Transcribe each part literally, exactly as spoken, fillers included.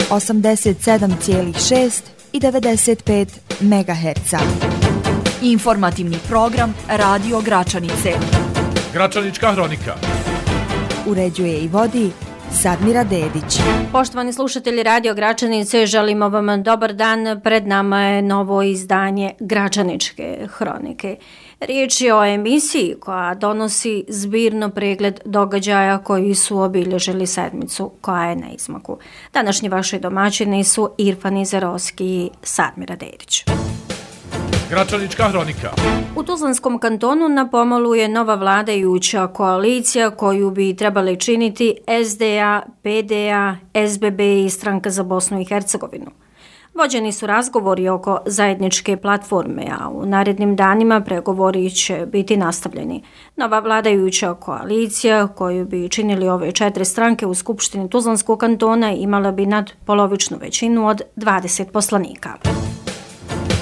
osamdeset sedam zarez šest i devedeset pet megaherca. Informativni program Radio Gračanice. Gračanička hronika. Uređuje i vodi Sadmira Dedić. Poštovani slušatelji Radio Gračanice, želimo vam dobar dan. Pred nama je novo izdanje Gračaničke hronike. Riječ je o emisiji koja donosi zbirno pregled događaja koji su obilježili sedmicu koja je na izmaku. Današnji vaši domaćini su Irfan Izerovski i Sadmira Dedić. Gračanička hronika. U Tuzlanskom kantonu na pomolu je nova vladajuća koalicija koju bi trebali činiti S D A, P D A, S B B i Stranka za Bosnu i Hercegovinu. Vođeni su razgovori oko zajedničke platforme, a u narednim danima pregovori će biti nastavljeni. Nova vladajuća koalicija koju bi činili ove četiri stranke u Skupštini Tuzlanskog kantona imala bi nadpolovičnu većinu od dvadeset poslanika.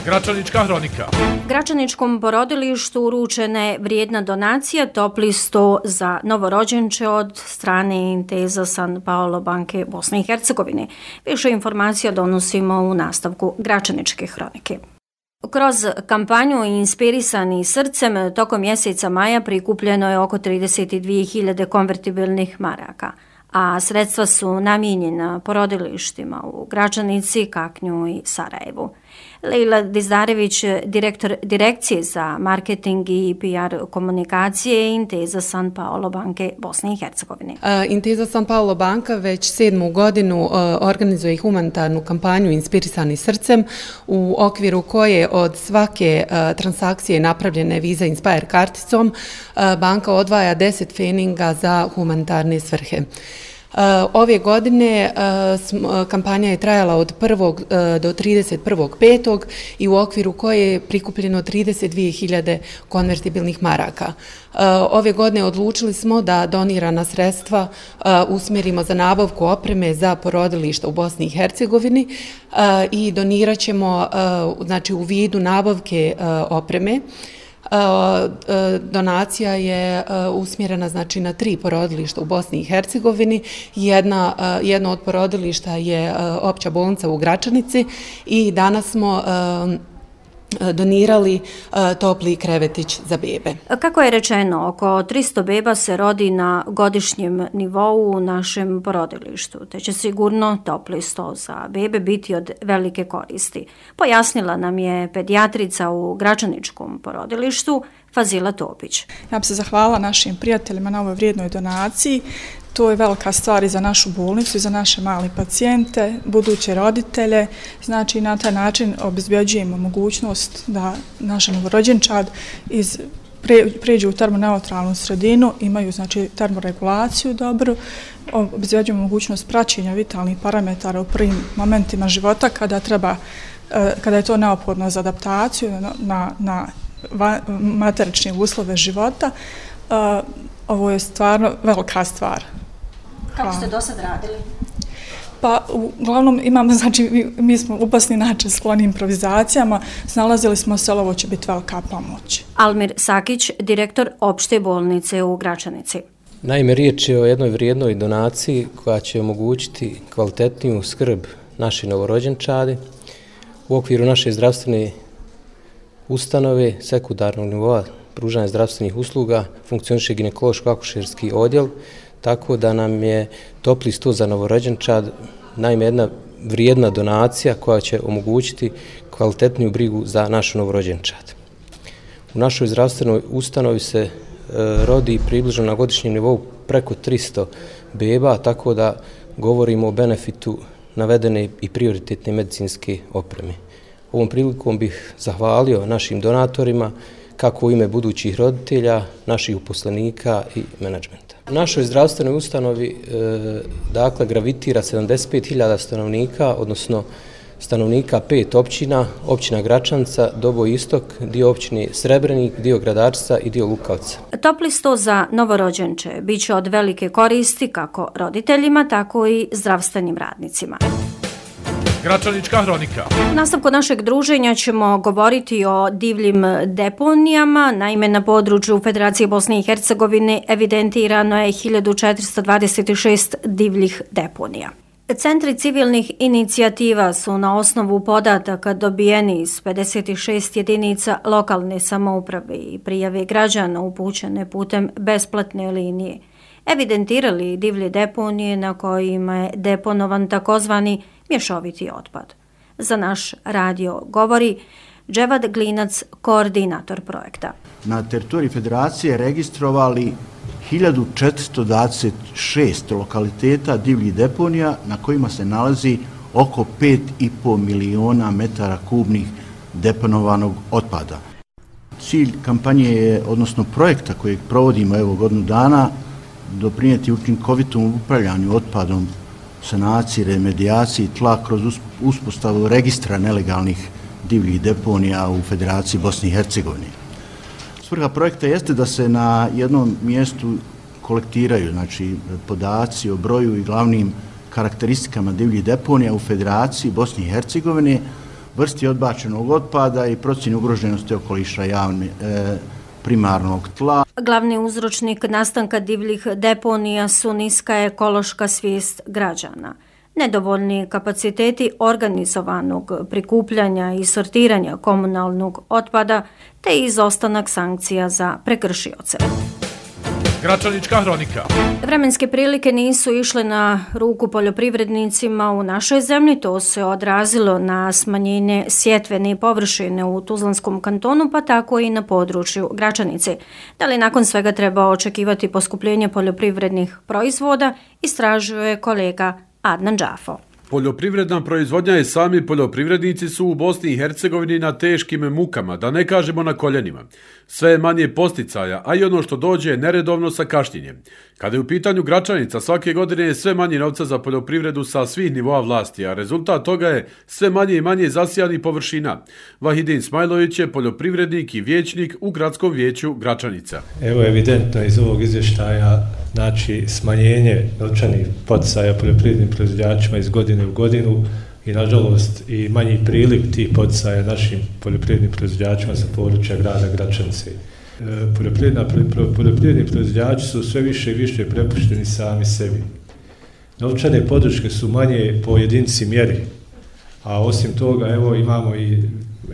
Gračanička hronika. Gračaničkom porodilištu uručena je vrijedna donacija topli sto za novorođenče od strane Intesa San Paolo banke Bosne i Hercegovine. Više informacija donosimo u nastavku Gračaničke hronike. Kroz kampanju Inspirisani srcem tokom mjeseca maja prikupljeno je oko trideset dvije hiljade konvertibilnih maraka, a sredstva su namijenjena porodilištima u Gračanici, Kaknju i Sarajevu. Lejla Dizdarević, direktor Direkcije za marketing i P R komunikacije Intesa San Paolo banke Bosne i Hercegovine. Intesa San Paolo banka već sedmu godinu organizuje humanitarnu kampanju Inspirisani srcem, u okviru koje od svake transakcije napravljene Visa Inspire karticom banka odvaja deset pfeninga za humanitarne svrhe. Ove godine kampanja je trajala od prvog do trideset prvog petog i u okviru koje je prikupljeno trideset dvije hiljade konvertibilnih maraka. Ove godine odlučili smo da donirana sredstva usmjerimo za nabavku opreme za porodilišta u Bosni i Hercegovini i donirat ćemo, znači, u vidu nabavke opreme. Donacija je usmjerena, znači, na tri porodilišta u Bosni i Hercegovini. Jedna, jedno od porodilišta je opća bolnica u Gračanici i danas smo donirali topli krevetić za bebe. Kako je rečeno, oko tristo beba se rodi na godišnjem nivou u našem porodilištu, te će sigurno topli sto za bebe biti od velike koristi. Pojasnila nam je pedijatrica u Gračaničkom porodilištu Fazila Topić. Ja bih se zahvalila našim prijateljima na ovoj vrijednoj donaciji. To je velika stvar i za našu bolnicu i za naše mali pacijente, buduće roditelje. Znači, na taj način obezbjeđujemo mogućnost da naš novorođenčad iz pre, pređu u termoneutralnu sredinu, imaju, znači, termoregulaciju dobru, obezbjeđujemo mogućnost praćenja vitalnih parametara u prvim momentima života kada treba, kada je to neophodno za adaptaciju na, na materične uslove života. Ovo je stvarno velika stvar. Kako ste do sad radili? Pa, uglavnom imamo, znači, mi, mi smo upasni način skloni improvizacijama, snalazili smo se, ali ovo će biti velika pomoć. Almir Sakić, direktor opšte bolnice u Gračanici. Naime, riječ je o jednoj vrijednoj donaciji koja će omogućiti kvalitetniju skrb naše novorođenčadi. U okviru naše zdravstvene ustanove sekundarnog nivoa pružanja zdravstvenih usluga funkcioniše ginekološko-akušerski odjel, tako da nam je topli sto za novorođenčad naime jedna vrijedna donacija koja će omogućiti kvalitetniju brigu za našu novorođenčad. U našoj zdravstvenoj ustanovi se e, rodi približno na godišnjem nivou preko tristo beba, tako da govorimo o benefitu navedene i prioritetne medicinske opreme. Ovom prilikom bih zahvalio našim donatorima, kako u ime budućih roditelja, naših uposlenika i menadžmenta. U našoj zdravstvenoj ustanovi e, dakle gravitira sedamdeset pet hiljada stanovnika, odnosno stanovnika pet općina, općina Gračanca, Doboj Istok, dio općine Srebrenik, dio Gradarca i dio Lukavca. Topli sto za novorođenče bit će od velike koristi kako roditeljima, tako i zdravstvenim radnicima. Gračanička hronika. U nastavku našeg druženja ćemo govoriti o divljim deponijama. Naime, na području Federacije Bosne i Hercegovine evidentirano je hiljadu četiristo dvadeset šest divljih deponija. Centri civilnih inicijativa su na osnovu podataka dobijeni iz pedeset šest jedinica lokalne samouprave i prijave građana upućene putem besplatne linije evidentirali divlje deponije na kojima je deponovan takozvani mješoviti otpad. Za naš radio govori Dževad Glinac, koordinator projekta. Na teritoriji federacije registrovali hiljadu četiristo dvadeset šest lokaliteta divljih deponija na kojima se nalazi oko pet i po miliona metara kubnih deponovanog otpada. Cilj kampanje je, odnosno projekta kojeg provodimo evo godinu dana, doprinijeti učinkovitom upravljanju otpadom, sanaciji, remedijaciji tla kroz uspostavu registra nelegalnih divljih deponija u Federaciji Bosne i Hercegovine. Svrha projekta jeste da se na jednom mjestu kolektiraju, znači, podaci o broju i glavnim karakteristikama divljih deponija u Federaciji Bosne i Hercegovine, vrsti odbačenog otpada i procjeni ugroženosti okoliša javne e, primarnog tla. Glavni uzročnik nastanka divljih deponija su niska ekološka svijest građana, nedovoljni kapaciteti organizovanog prikupljanja i sortiranja komunalnog otpada te izostanak sankcija za prekršioce. Gračanička hronika. Vremenske prilike nisu išle na ruku poljoprivrednicima u našoj zemlji, to se odrazilo na smanjenje sjetvene površine u Tuzlanskom kantonu, pa tako i na području Gračanice. Da li nakon svega treba očekivati poskupljenje poljoprivrednih proizvoda, istražuje kolega Adnan Džafo. Poljoprivredna proizvodnja i sami poljoprivrednici su u Bosni i Hercegovini na teškim mukama, da ne kažemo na koljenima. Sve je manje posticaja, a i ono što dođe je neredovno sa kašnjenjem. Kada je u pitanju Gračanica, svake godine je sve manje novca za poljoprivredu sa svih nivoa vlasti, a rezultat toga je sve manje i manje zasijanih površina. Vahidin Smajlović je poljoprivrednik i vijećnik u Gradskom vijeću Gračanica. Evo evidentno iz ovog izvještaja, znači smanjenje novčanih poticaja poljoprivrednim proizvođačima iz godine u godinu i nažalost i manji priliv tih poticaja našim poljoprivrednim proizvođačima sa područja grada Gračanice. Poljoprivredni proizvođači su sve više i više prepušteni sami sebi. Novčane podrške su manje po jedinici mjeri, a osim toga evo imamo i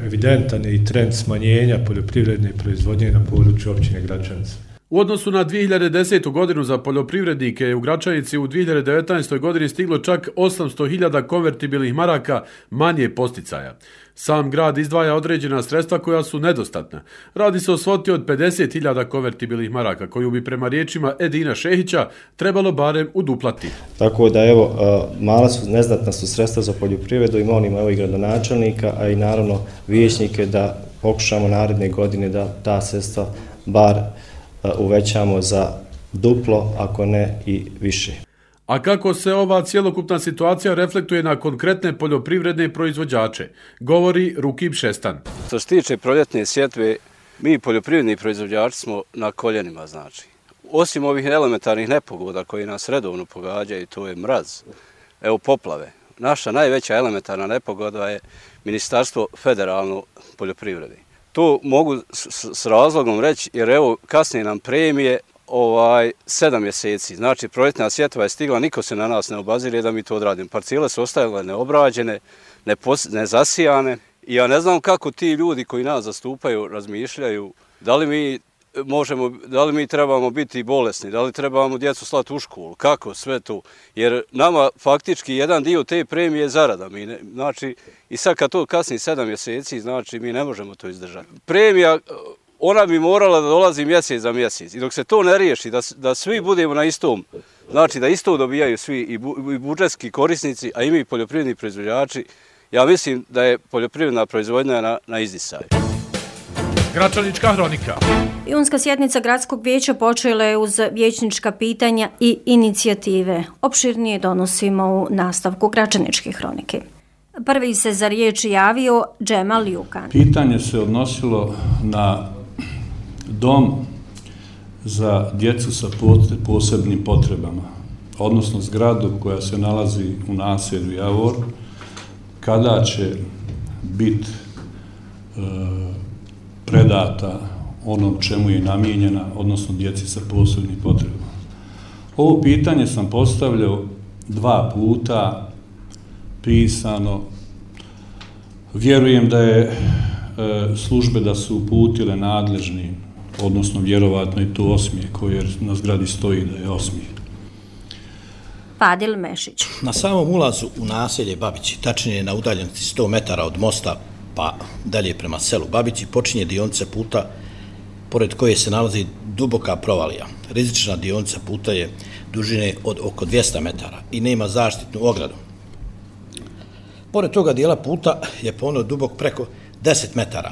evidentan i trend smanjenja poljoprivredne proizvodnje na području općine Gračanica. U odnosu na dvije hiljade desetu. godinu za poljoprivrednike u Gračanici u dvije hiljade devetnaestoj. godini stiglo čak osamsto hiljada konvertibilnih maraka manje posticaja. Sam grad izdvaja određena sredstva koja su nedostatna. Radi se o svoti od pedeset hiljada konvertibilnih maraka koju bi prema riječima Edina Šehića trebalo barem uduplati. Tako da evo, mala su, neznatna su sredstva za poljoprivredu i molimo evo i gradonačelnika, a i naravno vijećnike da pokušamo naredne godine da ta sredstva bar uvećamo za duplo, ako ne i više. A kako se ova cjelokupna situacija reflektuje na konkretne poljoprivredne proizvođače, govori Rukib Šestan. Što se tiče proljetne sjetve, mi poljoprivredni proizvođači smo na koljenima, znači. Osim ovih elementarnih nepogoda koji nas redovno pogađaju, to je mraz, evo poplave. Naša najveća elementarna nepogoda je Ministarstvo federalno poljoprivrede. To mogu s, s razlogom reći, jer evo kasnije nam premije ovaj sedam mjeseci. Znači proljetna sjetva je stigla, niko se na nas ne obazire da mi to odradimo. Parcele su ostajale neobrađene, nezasijane. I ja ne znam kako ti ljudi koji nas zastupaju razmišljaju, da li mi možemo, da li mi trebamo biti bolesni, da li trebamo djecu slati u školu, kako sve to. Jer nama faktički jedan dio te premije je zarada. Mi ne, znači, i sad kad to kasni sedam mjeseci, znači mi ne možemo to izdržati. Premija, ona bi morala da dolazi mjesec za mjesec. I dok se to ne riješi, da, da svi budemo na istom, znači da isto dobijaju svi i, bu, i budžetski korisnici, a i mi poljoprivredni proizvođači, ja mislim da je poljoprivredna proizvodnja na, na izdisaju. Gračanička hronika. Junska sjednica Gradskog vijeća počela je uz vijećnička pitanja i inicijative. Opširnije donosimo u nastavku Gračaničke hronike. Prvi se za riječ javio Džemal Jukan. Pitanje se odnosilo na dom za djecu sa posebnim potrebama, odnosno zgradu koja se nalazi u naselju Javor, kada će biti e, predata onom čemu je namijenjena, odnosno djeci sa posebnim potrebama. Ovo pitanje sam postavljao dva puta pisano. Vjerujem da je e, službe da su uputile nadležni, odnosno vjerovatno i to osmije koje na zgradi stoji da je osmije. Fadil Mešić. Na samom ulazu u naselje Babići, tačnije na udaljenosti sto metara od mosta pa dalje prema selu Babići, počinje dionica puta pored koje se nalazi duboka provalija. Rizična dionica puta je dužine od oko dvjesto metara i nema zaštitnu ogradu. Pored toga dijela puta je ponovno dubok preko deset metara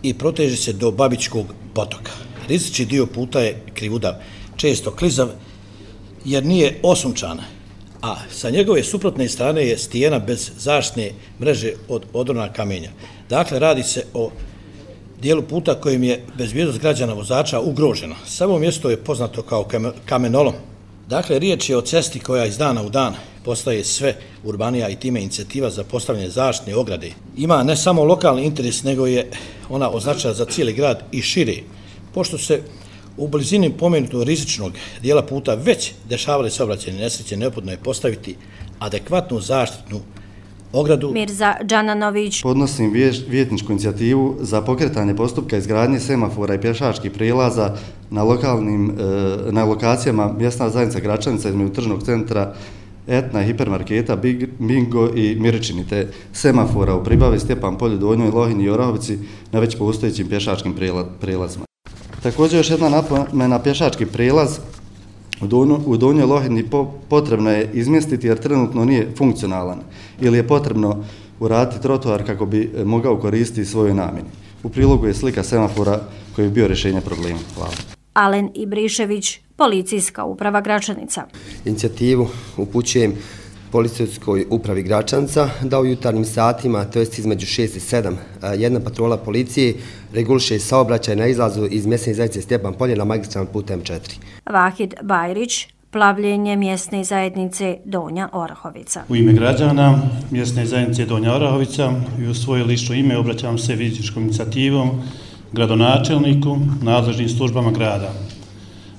i proteže se do Babićkog potoka. Rizični dio puta je krivudav, često klizav, jer nije osunčan, a sa njegove suprotne strane je stijena bez zaštitne mreže od odrona kamenja. Dakle, radi se o dijelu puta kojim je bezbjednost građana vozača ugrožena. Samo mjesto je poznato kao kamenolom. Dakle, riječ je o cesti koja iz dana u dan postaje sve urbanija i time inicijativa za postavljanje zaštitne ograde. Ima ne samo lokalni interes, nego je ona označena za cijeli grad i šire. Pošto se u blizini pomenutog rizičnog dijela puta već dešavale saobraćajne nesreće, neophodno je postaviti adekvatnu zaštitnu ogradu. Mirza Džananović. Podnosim vijećničku inicijativu za pokretanje postupka izgradnje semafora i pješačkih prijelaza na, lokalnim, na lokacijama mjesna zajednica Gračanica između tržnog centra Etna, hipermarketa, Bingo i Miričini, te semafora u Pribavi, Stjepan Polju, Donjoj, Lohini i Orahovici na već postojećim pješačkim prijelazima. Također još jedna napomena, pješački prijelaz u Donjoj Lohini potrebno je izmjestiti jer trenutno nije funkcionalan ili je potrebno uraditi trotoar kako bi mogao koristiti svojoj namjeni. U prilogu je slika semafora koji je bio rješenje problema. Hvala. Alen Ibrišević, Policijska uprava Gračanica. Inicijativu upućujem Policijskoj upravi Gračanca da u jutarnjim satima, to jest između šest i sedam, jedna patrola policije reguliše saobraćaj na izlazu iz mjesne zajednice Stjepan Polje na magistralnom putu em četiri. Vahid Bajrić, plavljenje mjesne zajednice Donja Orahovica. U ime građana mjesne zajednice Donja Orahovica i u svoje lično ime obraćam se vijećničkom inicijativom gradonačelniku, nadležnim službama grada.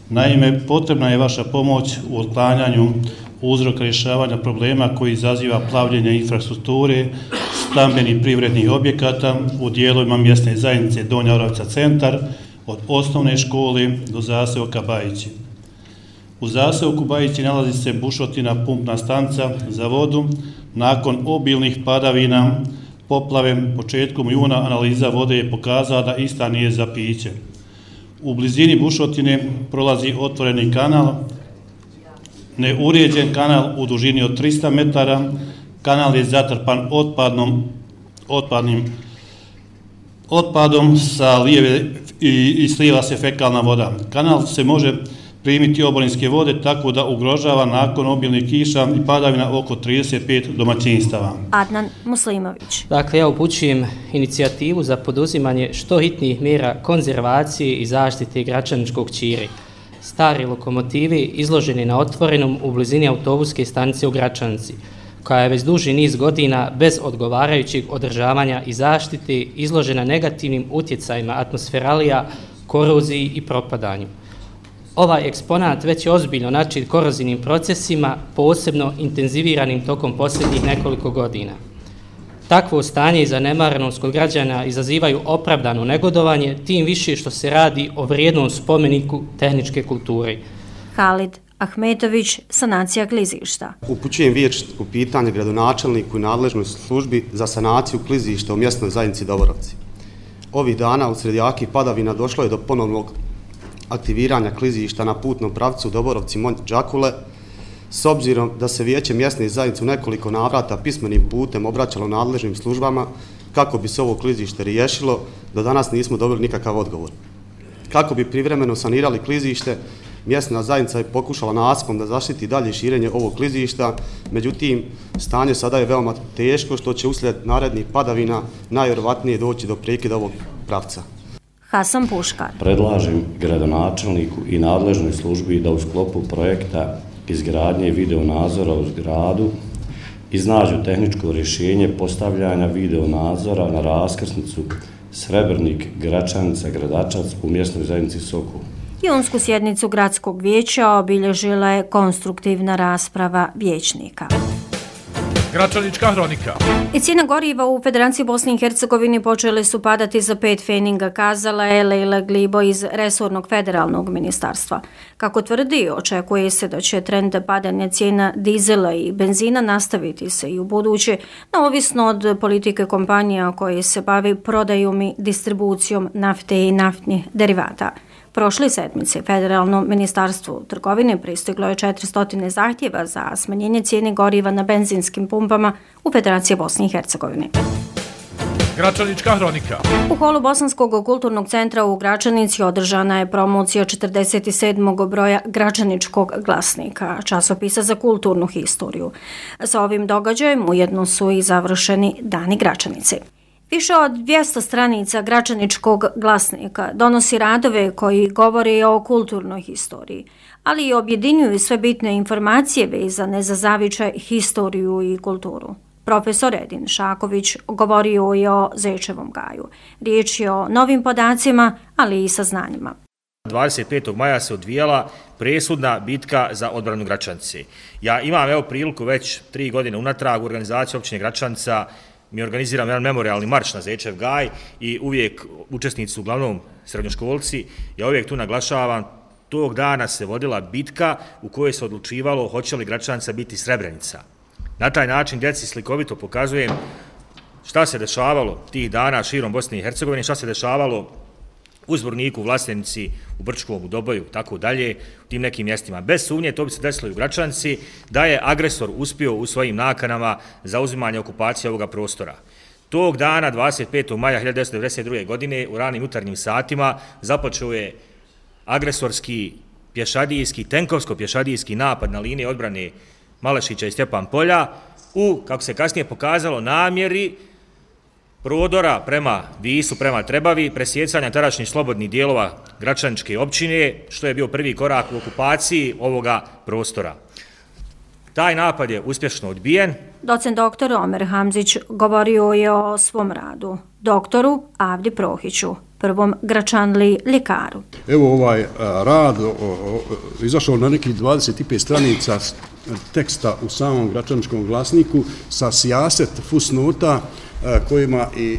Naime, potrebna je vaša pomoć u otklanjanju uzroka rješavanja problema koji izaziva plavljenje infrastrukture, stambenih privrednih objekata u dijelovima mjesne zajednice Donja Orahovica centar, od osnovne škole do zaseoka Bajići. U zaseoku Bajići nalazi se bušotina pumpna stanica za vodu. Nakon obilnih padavina, poplave početkom juna analiza vode je pokazala da ista nije za piće. U blizini bušotine prolazi otvoreni kanal, neuređen kanal u dužini od tristo metara, kanal je zatrpan otpadnom, otpadnim otpadom sa lijeve i, i slijeva se fekalna voda. Kanal se može primiti oborinske vode tako da ugrožava nakon obilnih kiša i padavina oko trideset pet domaćinstava. Adnan Muslimović. Dakle, ja upućujem inicijativu za poduzimanje što hitnijih mjera konzervacije i zaštite Gračaničkog ćiri. Stari lokomotivi izloženi na otvorenom u blizini autobuske stanice u Gračanici, koja je već duži niz godina bez odgovarajućeg održavanja i zaštite izložena negativnim utjecajima atmosferalija, koroziji i propadanju. Ovaj eksponat već je ozbiljno način korozivnim procesima, posebno intenziviranim tokom posljednjih nekoliko godina. Takvo stanje i zanemarenost kod građana izazivaju opravdano negodovanje, tim više što se radi o vrijednom spomeniku tehničke kulture. Halid Ahmetović, sanacija klizišta. Upućujem vijećničko pitanje gradonačelniku i nadležnoj službi za sanaciju klizišta u mjesnoj zajednici Doborovci. Ovih dana usred jakih padavina došlo je do ponovnog aktiviranja klizišta na putnom pravcu Doborovci-Monj-Đakule, s obzirom da se vijeće mjesne zajednice u nekoliko navrata pismenim putem obraćalo nadležnim službama kako bi se ovo klizište riješilo, do danas nismo dobili nikakav odgovor. Kako bi privremeno sanirali klizište, mjesna zajednica je pokušala nasipom da zaštiti dalje širenje ovog klizišta, međutim, stanje sada je veoma teško što će uslijed narednih padavina najvjerovatnije doći do prekida ovog pravca. Hasan Puškar. Predlažem gradonačelniku i nadležnoj službi da u sklopu projekta izgradnje videonadzora u zgradu iznađu tehničko rješenje postavljanja videonadzora na raskrsnicu Srebrnik, Gračanica, Gradačac u mjesnoj zajednici Sokol. Junsku sjednicu gradskog vijeća obilježila je konstruktivna rasprava vijećnika. Gračanička hronika. I cijena goriva u Federaciji Bosne i Hercegovine počele su padati za pet feninga, kazala je Lejla Glibo iz resornog federalnog ministarstva. Kako tvrdi, očekuje se da će trend padanja cijena dizela i benzina nastaviti se i u buduće, neovisno od politike kompanija koje se bavi prodajom i distribucijom nafte i naftnih derivata. Prošle sedmice Federalnom ministarstvu trgovine pristiglo je četiristo zahtjeva za smanjenje cijene goriva na benzinskim pumpama u Federaciji Bosne i Hercegovine. Gračanička hronika. U holu Bosanskog kulturnog centra u Gračanici održana je promocija četrdeset sedmog broja Gračaničkog glasnika, časopisa za kulturnu historiju. Sa ovim događajem ujedno su i završeni Dani Gračanice. Više od dvjesto stranica Gračaničkog glasnika donosi radove koji govore o kulturnoj historiji, ali i objedinjuju sve bitne informacije vezane za zavičaj, historiju i kulturu. Profesor Edin Šaković govorio je o Zečevom gaju. Riječ je o novim podacima, ali i saznanjima. dvadeset petog maja se odvijala presudna bitka za odbranu Gračanice. Ja imam evo priliku već tri godine unatrag u organizaciji općine Gračanica. Mi organiziramo jedan memorialni marš na Zečev gaj i uvijek učesnici su uglavnom srednjoškolci. Ja uvijek tu naglašavam, tog dana se vodila bitka u kojoj se odlučivalo hoće li Gračanica biti Srebrenica. Na taj način djeci slikovito pokazujem šta se dešavalo tih dana širom Bosne i Hercegovine, šta se dešavalo u Zvorniku, u Vlasenici, u Brčkom, u Doboju, tako dalje, u tim nekim mjestima. Bez sumnje to bi se desilo i u Gračanici, da je agresor uspio u svojim nakanama za uzimanje okupacije ovoga prostora. Tog dana, dvadeset petog maja hiljadu devetsto devedeset druge. godine, u ranim jutarnjim satima, započeo je agresorski pješadijski, tenkovsko-pješadijski napad na linije odbrane Malešića i Stjepan Polja u, kako se kasnije pokazalo, namjeri prodora prema Visu, prema Trebavi, presjecanja tadašnjih slobodnih dijelova Gračaničke općine, što je bio prvi korak u okupaciji ovoga prostora. Taj napad je uspješno odbijen. Docent doktor Omer Hamzić govorio je o svom radu, doktoru Avdi Prohiću, prvom Gračanli ljekaru. Evo ovaj rad o, o, izašao na nekih dvadeset pet stranica teksta u samom Gračaničkom glasniku sa sijaset fusnota kojima, i,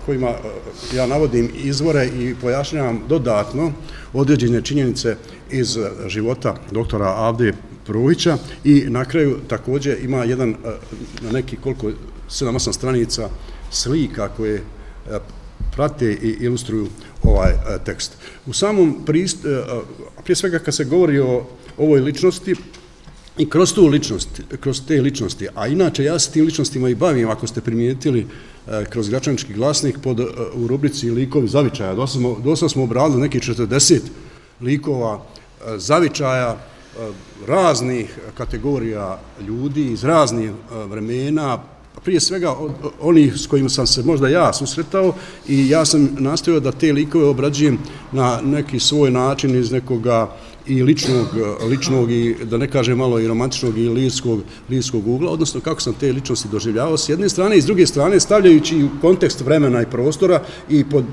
kojima ja navodim izvore i pojašnjavam dodatno određene činjenice iz života doktora Avde Prohića i na kraju također ima jedan na neki koliko sedam osam stranica slika koje prate i ilustruju ovaj tekst. U samom prist, prije svega kad se govori o ovoj ličnosti i kroz tu ličnost, kroz te ličnosti, a inače ja se tim ličnostima i bavim, ako ste primijetili kroz Gračanički glasnik pod, u rubrici likovi zavičaja. Dosta smo, dosta smo obradili nekih četrdeset likova zavičaja raznih kategorija ljudi iz raznih vremena, prije svega onih s kojima sam se možda ja susretao i ja sam nastojao da te likove obrađujem na neki svoj način iz nekoga i ličnog, ličnog i da ne kažem malo i romantičnog i lirskog, lirskog ugla, odnosno kako sam te ličnosti doživljavao s jedne strane i s druge strane stavljajući u kontekst vremena i prostora i pod,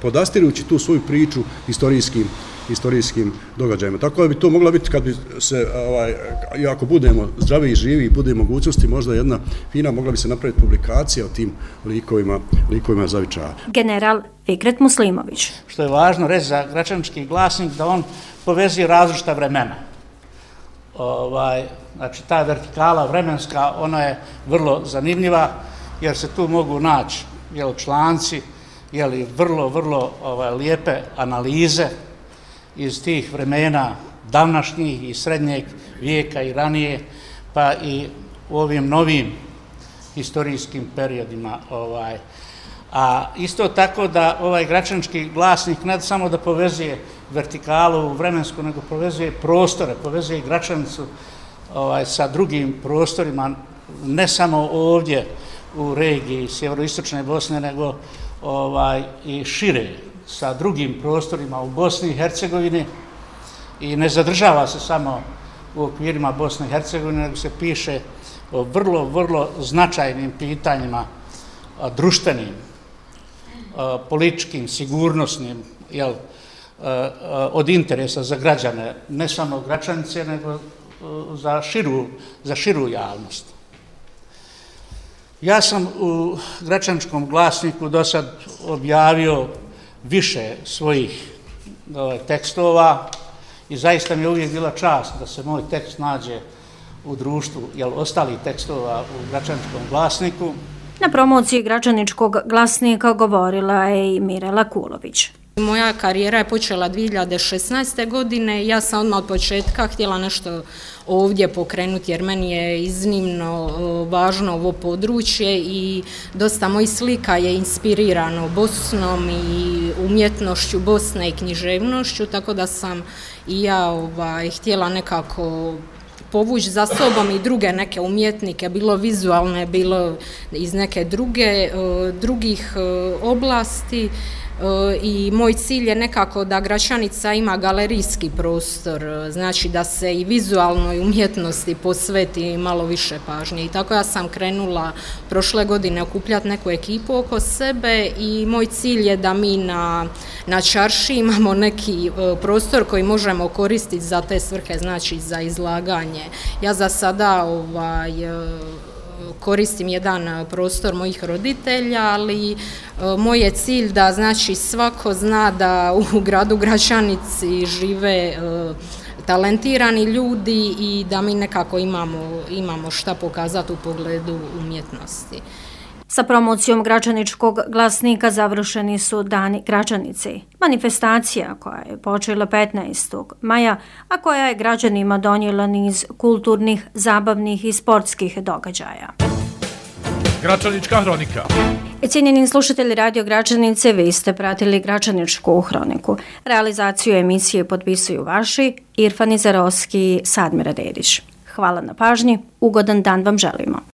podastirujući tu svoju priču historijskim historijskim događajima. Tako da bi to mogla biti kad bi se, ovaj, i ako budemo zdravi i živi i bude mogućnosti, možda jedna fina, mogla bi se napraviti publikacija o tim likovima, likovima zavičaja. General Fikret Muslimović. Što je važno reći za Gračanički glasnik, da on povezuje različita vremena. Ovaj, znači, ta vertikala vremenska, ona je vrlo zanimljiva, jer se tu mogu naći jel, članci, jel, vrlo, vrlo ovaj, lijepe analize iz tih vremena davnašnjih i srednjeg vijeka i ranije, pa i u ovim novim historijskim periodima. Ovaj. A isto tako da ovaj Gračanički glasnik ne samo da povezuje vertikalu vremensku, nego povezuje prostore, povezuje Gračanicu ovaj, sa drugim prostorima, ne samo ovdje u regiji sjeveroistočne Bosne, nego ovaj, i šire, sa drugim prostorima u Bosni i Hercegovini i ne zadržava se samo u okvirima Bosne i Hercegovine, nego se piše o vrlo, vrlo značajnim pitanjima, društvenim, političkim, sigurnosnim, jel, od interesa za građane, ne samo Gračanice, nego za širu, za širu javnost. Ja sam u Gračaničkom glasniku do sad objavio više svojih tekstova i zaista mi je uvijek bila čast da se moj tekst nađe u društvu, jel, ostalih tekstova u Gračaničkom glasniku. Na promociji Gračaničkog glasnika govorila je i Mirela Kulović. Moja karijera je počela dvije hiljade šesnaeste. godine. Ja sam odmah od početka htjela nešto ovdje pokrenuti jer meni je iznimno važno ovo područje i dosta mojih slika je inspirirano Bosnom i umjetnošću Bosne i književnošću, tako da sam i ja ovaj, htjela nekako povući za sobom i druge neke umjetnike, bilo vizualne, bilo iz neke druge, drugih oblasti. I moj cilj je nekako da Gračanica ima galerijski prostor, znači da se i vizualnoj umjetnosti posveti malo više pažnje. I tako ja sam krenula prošle godine okupljati neku ekipu oko sebe i moj cilj je da mi na, na čarši imamo neki prostor koji možemo koristiti za te svrhe, znači za izlaganje. Ja za sada ovaj, koristim jedan prostor mojih roditelja, ali moj je cilj da znači svako zna da u gradu Gračanici žive talentirani ljudi i da mi nekako imamo, imamo šta pokazati u pogledu umjetnosti. Sa promocijom Gračaničkog glasnika završeni su Dani Gračanice. Manifestacija koja je počela petnaestog maja, a koja je građanima donijela niz kulturnih, zabavnih i sportskih događaja. Gračanička hronika. Cijenjeni slušatelji Radio Gračanice, vi ste pratili Gračaničku hroniku. Realizaciju emisije potpisuju vaši Irfan Izarovski i Sadmira Dedić. Hvala na pažnji, ugodan dan vam želimo.